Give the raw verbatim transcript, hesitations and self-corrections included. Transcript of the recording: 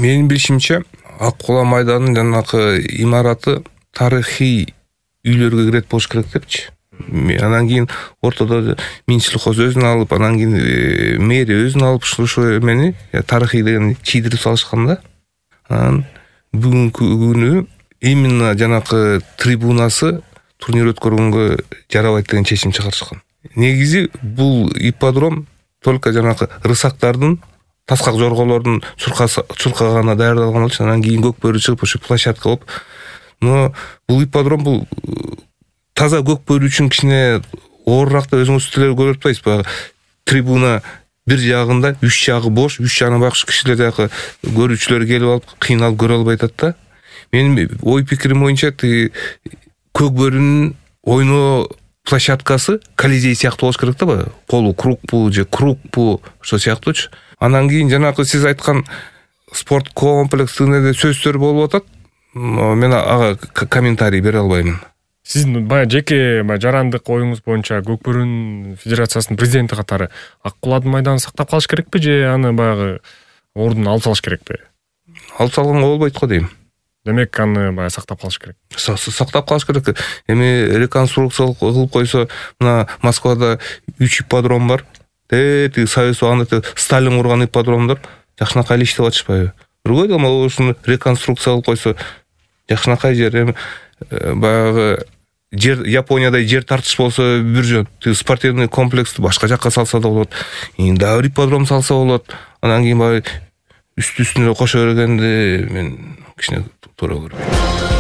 Менин билишимче Ак Кула майданынын жанакы имараты тарыхый үйлөргө кирет болуш керек депчи. Анан кийин ортодо Минчилхоз өзүн алып, анан кийин мэрия өзүн алып ушул эмени тарыхый деген чийдирип салышкан да. Анан бүгүнкү күнү именно жанакы трибунасы турнир өткөргөнгө жарабайт деген чечим чыгарышкан. Негизи бул ипподром только жанакы рысактардын, таскак жорголордун чуркаганына даярдалган болчу. Анан кийин көкбөрү чыгып ошо площадка болуп. Но бул ипподром бул таза көкбөрү үчүн кичине оорураак деп өзүңүз тилер көрүп атпайсызбы? Баягы трибуна бир жагында, үч жагы бош, үч жагына багыш кишилер жакы көрүүчүлөр келип алып, кыйналып көрө албай атат да. Менин ой пикирим боюнча тиги көкбөрүнүн ойноо площадкасы Колизей сыяктуу болуш керек да, баягы полу кругпу же кругпу ошо сыяктуучу. Анан кийин жанакы сиз айткан спорт комплексинде сөздөр болуп атат. Мен ага комментарий бере албаймын. Сиздин баягы жеке жарандык оюңуз боюнча Көкбөрүн Федерациясынын президенти катары Ак Куладын майданын сактап калыш керекпи же аны баягы ордуна алып салыш керекпи? Алып салганга болбойт го дейм. Демек аны баягы сактап калыш керек. Сактап калыш керек. Эми реконструкция кылып койсо, мына Москвада үч ипподром бар. Тети Союз убагында Сталин курган ипподромдор жакшынакай эле иштеп атышпайбы? Биргой деле ошону реконструкция кылып койсо жакшынакай жер. Эми баягы жер Япониядай жер тартыш болсо бир жөн, тиги спортивный комплексти башка жакка салса да болот. Эми дагы ипподром салса болот. Анан кийин баягы үстү-үстүнө кошо бергенди мен кичине туура көрбөйм.